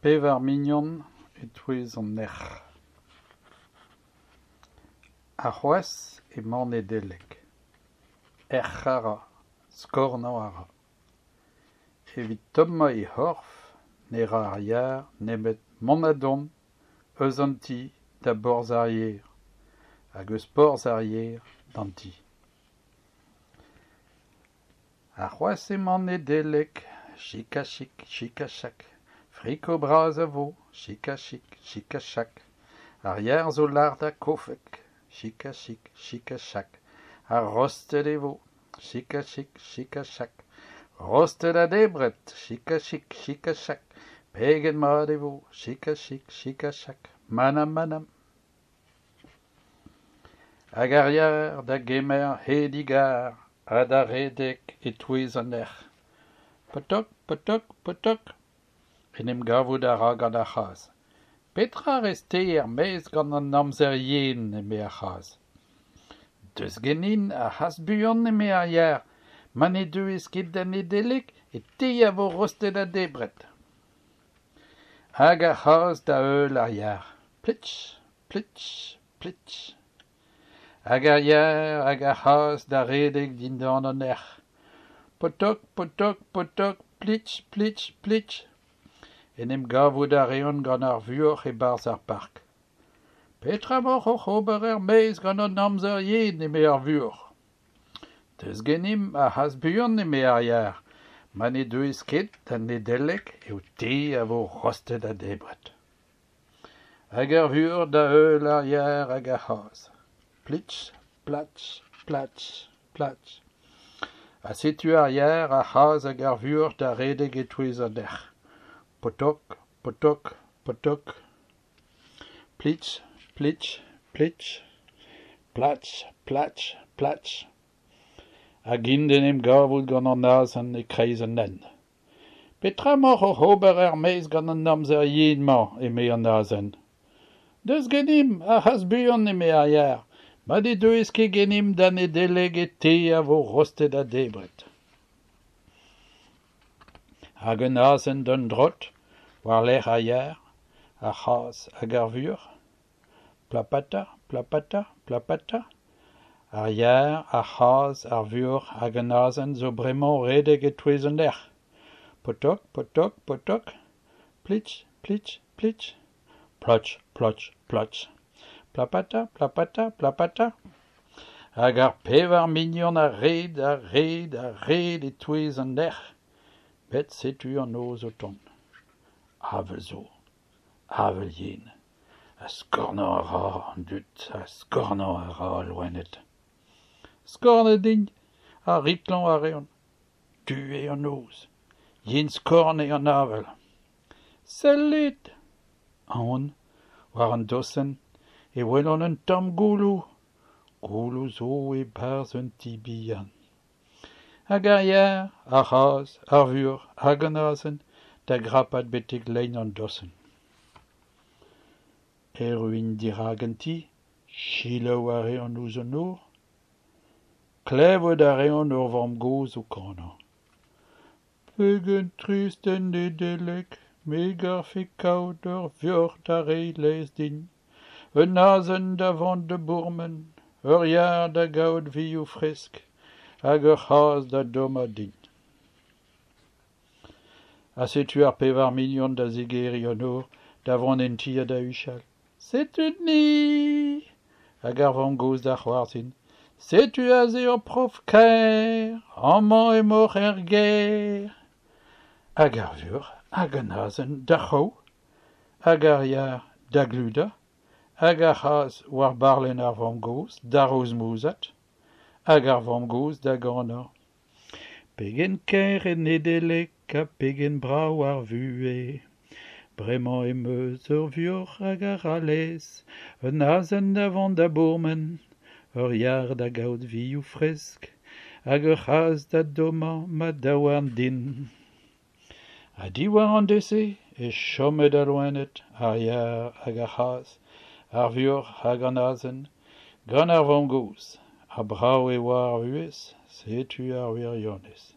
Pevar mignon e-touez an erc'h. Arc'hoazh emañ Nedeleg. Erc'h a ra, skornañ a ra. Evit tommañ he c'horf ne ra ar yar nemet mont ha dont eus an ti da borzh ar yer hag eus porzh ar yer d'an ti. Arc'hoazh emañ Nedeleg, chik-ha-chik, chik-ha-chak, friko bras a vo, chik-ha-chik, chik-ha-chak, ar yar zo lart ha kofek, chik-ha-chik, chik-ha-chak, ha rostet e vo, chik-ha-chik, chik-ha-chak, rostet ha debret, chik-ha-chik, chik-ha-chak, pegen mat e vo, chik-ha-chik, chik-ha-chak, manam-manam. Hag ar yar da gemer he digar ha da redek e-touez an erc'h. Potok, potok, potok. En em gavout a ra gant ar c'hazh. Petra a rez-te er-maez gant an amzer yen, eme ar c'hazh. Deus ganin ha hast buan, eme ar yar. Ma ne deuez ket da Nedeleg e te a vo rostet ha debret. Hag ar c'hazh da heul ar yar. Plitch, plitch, plitch. Hag ar yar hag ar c'hazh da redek dindan an erc'h. Potok, potok, potok, plitch, plitch, plitch. En em gavout a reont gant ar vuoc'h e-barzh ar park. Petra emaoc'h oc'h ober er-maez gant an amzer yen, eme ar vuoc'h. Deus ganimp ha hast buan, eme ar yar. Ma ne deuez ket da Nedeleg eo te a vo rostet ha debret. Hag ar vuoc'h da heul ar yar hag ar c'hazh. Plitch, platch, platch, platch. Ha setu ar yar, ar c'hazh hag ar vuoc'h da redek e-touez an erc'h. Potok, potok, potok. Plitch, plitch, plitch. Platch, platch, platch. Hag int d'en em gavout gant an azen e-kreiz an hent. Petra emaoc'h oc'h ober er-maez gant an amzer yen-mañ, eme an azen. Deus ganimp, ha hast buan, eme ar yar, ma ne deuez ket ganimp da Nedeleg e te a vo rostet ha debret. Hag un azen d'un drot, war-lerc'h ar yar, ar c'hazh hag ar vuoc'h. Plapata, plapata, plapata. Ar yar, ar c'hazh, ar vuoc'h hag an azen zo bremañ o redek e-touez an erc'h. Potok, potok, potok. Plitch, plitch, plitch. Plotch, plotch, plotch. Plapata, plapata, plapata. Hag ar pevar mignon a red, a red, a red e-touez an erc'h. Met setu an noz o tont. Avel zo. Avel yen. Ha skornañ a ra an dud, ha skornañ a ra al loened. Skornet int ha riklañ a reont. Du eo an noz, yen-skorn eo an avel. Sellit! Aon, war an dosenn, e welan un tamm gouloù. Gouloù zo e-barzh un ti bihan. Hag ar yar, ar c'hazh, ar vuoc'h hag an azen da grapat betek lein an dosenn. Erru int dirak an ti, selaou a reont ouzh an nor. Klevout a reont ur vamm-gozh o kanañ. Pegen trist en Nedeleg, me 'garfe kaout ur vuoc'h da reiñ laezh din, un azen da vont da bourmen, ur yar da gaout vioù fresk hag ur c'hazh da dommañ din. Ha setu ar pevar mignon da zigeriñ an nor, da vont en ti ha da huchal. Setu-ni! Hag ar vamm-gozh da c'hoarzhin. Setu aze ur prof kaer! Amañ emaoc'h er gêr! Hag ar vuoc'h hag an azen d'ar c'hraou, hag ar yar da gludañ, hag ar c'hazh war barlenn ar vamm-gozh da rozmouzat, hag ar vamm-gozh da ganañ. Pegen kaer eo Nedeleg ha pegen brav ar vuhez. Bremañ em eus ur vuoc'h hag a ra laezh, un azen da vont da bourmen, ur yar da gaout vioù fresk hag ur c'hazh da dommañ ma daouarn din. Ha diwar an deiz-se e chomet al loened, ar yar hag ar c'hazh, ar vuoc'h hag an azen, gant ar vamm-gozh. Ha brav e oa ar vuhez, setu ar wirionez.